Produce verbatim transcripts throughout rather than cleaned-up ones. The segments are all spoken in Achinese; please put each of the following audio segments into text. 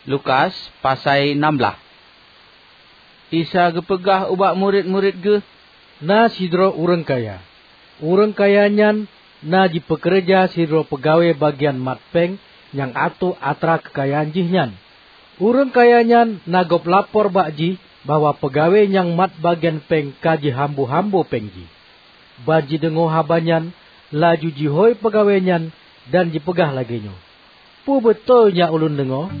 Lukas pasai nam blaih. Isa geupeugah ubak murit-murit Geuh, "Na sidroe ureuëng kaya. Ureuëng kaya nyan na jipeukeureuja sidroe peugawée bagian mat péng nyang atoe atra keukayaan jih nyan. Ureuëng kaya nyan na gob lapor bak jih bahwa peugawée nyang mat bagian péng ka jihambo-hambo péng jih." Ban jideungoe haba nyan, laju jihôi peugawée nyan dan jipeugah lagée nyoe, "Peue beutôi nyang ulôn deungoe?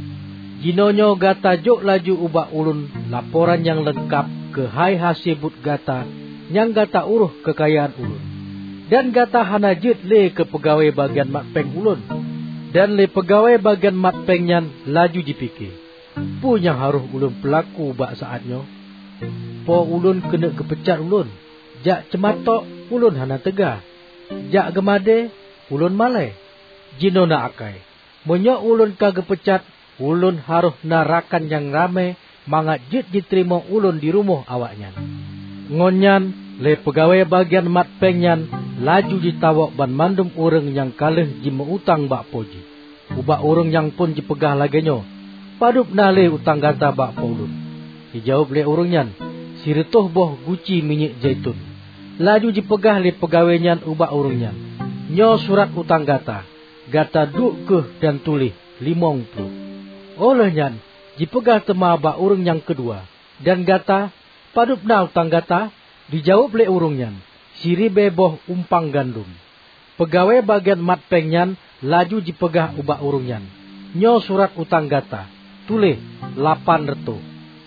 Jinoenyoe gata jok laju ubak ulôn laporan nyang leungkab keuhai hase buet gata nyang gata uroh keukayaan ulôn. Dan gata hana jeuet lé keu peugawée bagian mat péng ulôn." Dan lé peugawée bagian mat péng nyan laju jipike, "Peue nyang harôh ulôn peulaku bak saát nyoe? Po ulôn keuneuk geupeucat ulôn. Jak ceumatok, ulôn hana teuga. Jak geumadée, ulôn malée. Jinoe na akai, meunyoe ulôn ka geupeucat, ulôn harôh na rakan nyang ramé mangat jeuet jiteurimong ulôn di rumoh awaknyan." Ngon nyan, lé peugawée bagian mat péng nyan laju jitawök banmandum ureuëng nyang ka lheueh jimeu-utang bak po jih. Ubak ureuëng nyang phon jipeugah lagée nyoe, "Padub na lé utang gata bak po ulôn?" Jijaweueb lé ureuëng nyan, "Sireutôh boh guci minyeuk zaitun." Laju jipeugah lé peugawée nyan ubak ureuëng nyan, "Nyoe surat utang gata. Gata duek kheueh dan tuléh limong ploh." Óh lheueh nyan, jipeugah teuma bak ureuëng nyang keudua, "Dan gata, padub na utang gata?" Jijaweueb lé ureuëng nyan, "Siribée boh umpang gandom." Peugawée bagian mat péng nyan laju jipeugah ubak ureuëng nyan, "Nyoe surat utang gata, tuléh lapan reutôh."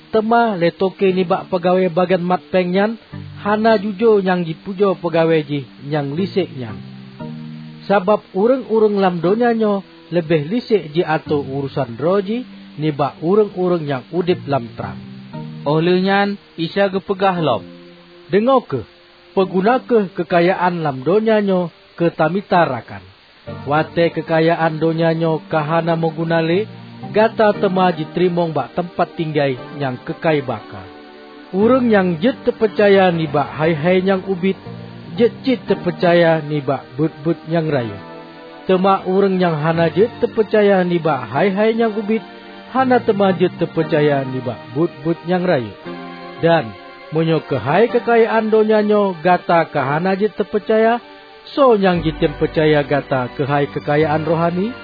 Teuma lé toke nibak peugawée bagian mat péng nyan hana jujoe nyang jipujoe peugawée jih nyang lisék nyan. Sabab ureuëng-ureuëng lam donya nyoe leubeh lisék jiatoe urosan droe jih nibak ureuëng-ureuëng nyang udeb lam trang. Óh lheueh nyan Isa geupeugah lom, "Deungoe kheueh! Peuguna kheueh keukayaan lam donya nyoe keu tamita rakan. Watée keukayaan donya nyoe ka hana meuguna lé, gata teuma jiteurimong bak teumpat tinggai nyang keukai baka. Ureuëng nyang jeuet teupeucaya nibak hai-hai nyang ubit, jeuet cit teupeucaya nibak buet-buet nyang rayeuk. Teuma ureuëng nyang hana jeuet teupeucaya nibak hai-hai nyang ubit, hana teuma jeuet teupeucaya nibak buet-buet nyang rayeuk. Dan meunyoe keuhai keukayaan donya nyoe gata ka hana jeuet teupeucaya, soe nyang jitem peucaya gata keuhai keukayaan rohani?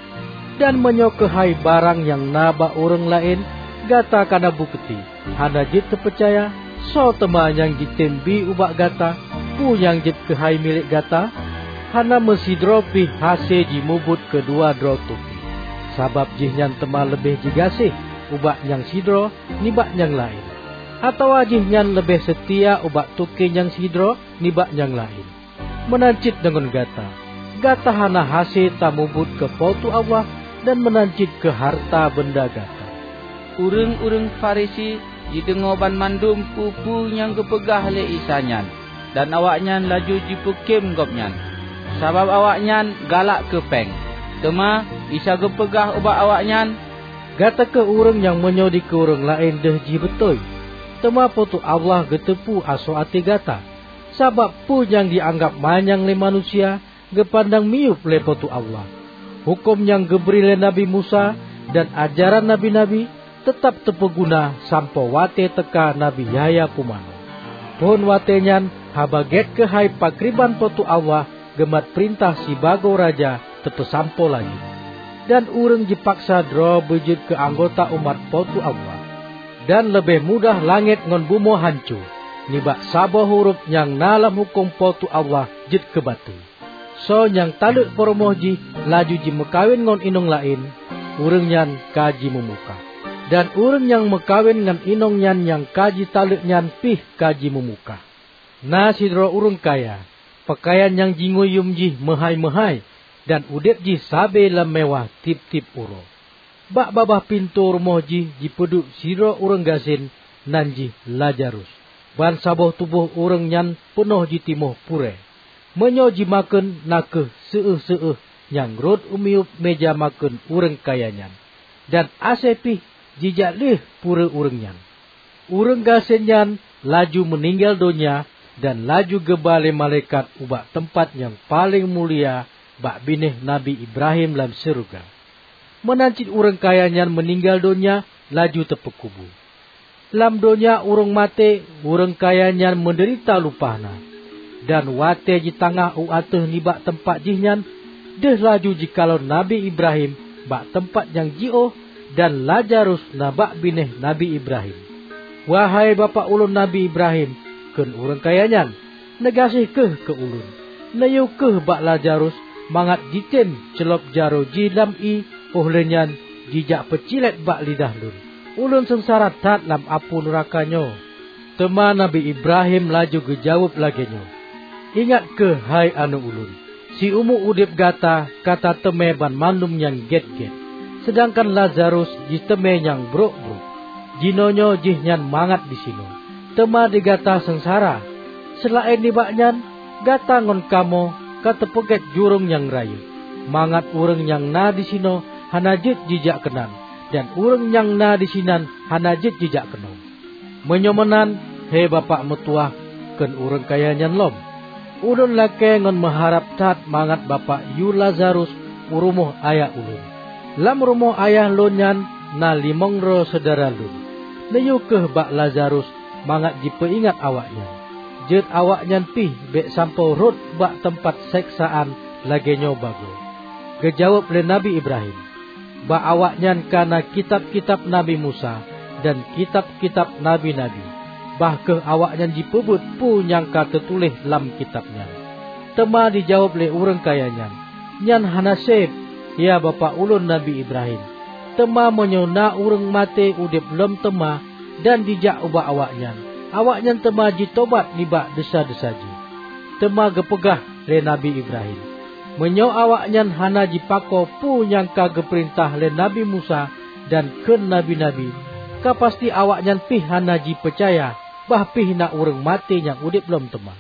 Dan meunyoe keuhai barang nyang na bak ureuëng laén gata kana bukeuti hana jeuet teupeucaya, soe teuma nyang jitem bi ubak gata peue nyang jeuet keuhai milék gata? Hana meusidroe pih hase jimubuet keudua droe toke, sabab jihnyan teuma leubeh jigaséh ubak nyang sidroe nibak nyang laén, atawa jihnyan leubeh seutia ubak toke nyang sidroe nibak nyang laén. Meunan cit deungon gata, gata hana hase tamubuet keu Po teu Allah dan meunan cit keu hareuta beunda gata." Ureuëng-ureuëng Farisi jideungoe banmandum peue-peue nyang geupeugah lé Isa nyan, dan awaknyan laju jipeukém Gobnyan, sabab awaknyan galak keu péng. Teuma Isa geupeugah ubak awaknyan, "Gata kheueh ureuëng nyang meunyoe dikeue ureuëng laén deuh jih beutôi, teuma Po teu Allah geuteupeue asoe até gata. Sabab peue nyang jianggab manyang lé manusia, geupandang miyueb lé Po teu Allah. Huköm nyang geubri lé Nabi Musa dan ajaran nabi-nabi teutab teupeuguna sampoe watée teuka Nabi Yahya Pumanö. Phon watée nyan Haba Gét keuhai pakriban Po teu Allah geumat peurintah sibagoe raja teupeusampoe laju. Dan ureuëng jipaksa droe beujeuet keu anggota umat Po teu Allah. Dan leubeh mudah langét ngon bumoe hanco nibak saboh hurôb nyang na lam huköm Po teu Allah jeuet keu batée. Soe nyang taleuek peurumoh jih laju jimeukawen ngon inong laén, ureuëng nyan ka jimeumukah. Dan ureuëng nyang meukawen ngon inong nyan nyang ka jitaleuek nyan pih ka jimeumukah. Na sidroe ureuëng kaya, peukayan nyang jingui yuem jih meuhái-meuhái, dan udeb jih sabe lam meuwah tieb-tieb uroe. Bak babah pintoe rumoh jih jipeuduek sidroe ureuëng gasien, nan jih Lazarus. Bansaboh tuboh ureuëng nyan peunoh jitimoh purée. Meunyoe jimakheun na kheueh seueuh-seueuh nyang rhot u miyueb méja makheun ureuëng kaya nyan, dan asée pih jijak lheueh purée ureuëng nyan. Ureuëng gasien nyan laju meuninggai donya dan laju geuba lé malaikat ubak teumpat nyang paleng mulia bak binéh Nabi Ibrahim lam syeuruga. Meunan cit ureuëng kaya nyan meuninggai donya laju teupeukubu. Lam donya ureuëng maté, ureuëng kaya nyan meudeurita lumpah na. Dan watée jitangah u ateueh nibak teumpat jih nyan, deuh laju jikalon Nabi Ibrahim bak teumpat nyang jiôh, dan Lazarus na bak binéh Nabi Ibrahim. "Wahai bapak ulôn Nabi Ibrahim," kheun ureuëng kaya nyan, "neugaséh kheueh keu ulôn. Neuyue kheueh bak Lazarus mangat jitem ceulob jaroe jih lam ié, óh lheueh nyan jijak peucilét bak lidah lôn. Ulôn seungsara that lam apui nuraka nyoe." Teuma Nabi Ibrahim laju geujaweueb lagée nyoe, "Ingat kheueh, hai aneuëk ulôn, siumu udeb gata ka tateumé banmandum nyang gét-gét, seudangkan Lazarus jiteumé nyang brok-brok. Jinoenyoe jihnyan mangat disinoe, teuma di gata seungsara. Seulaén nibak nyan, gata ngon kamoe ka teupeugét jurông nyang rayeuk, mangat ureuëng nyang na disinoe hana jeuet jijak keunan, dan ureuëng nyang na disinan hana jeuet jijak keunoe. Meunyoe meunan, he bapak meutuwah," kheun ureuëng kaya nyan lom, "ulôn lakée ngon meuharab that mangat bapak yue Lazarus u rumoh ayah ulôn. Lam rumoh ayah lôn nyan na limong droe syedara lôn. Neuyue kheueh bak Lazarus mangat jipeuingat awaknyan. Jeuet awaknyan pih bék sampoe rhot bak teumpat seksaan lagée nyoe bagoe." Geujaweueb lé Nabi Ibrahim, "Bak awaknyan ka na kitab-kitab Nabi Musa dan kitab-kitab nabi-nabi, bah kheueh awaknyan jipeubuet peue nyang ka teutuléh lam kitab nyan." Teuma dijaweueb lé ureuëng kaya nyan, "Nyan hana seb, ya bapak ulôn Nabi Ibrahim. Teuma meunyoe na ureuëng maté udeb lom teuma dan jijak ubak awaknyan, awaknyan teuma jitobat nibak desya-desya jih." Teuma geupeugah lé Nabi Ibrahim, "Meunyoe awaknyan hana jipakoe peue nyang ka geupeurintah lé Nabi Musa dan kheun nabi-nabi, ka pasti awaknyan pih hana jipeucaya bah pih na ureuëng maté nyang udeb lom teuma."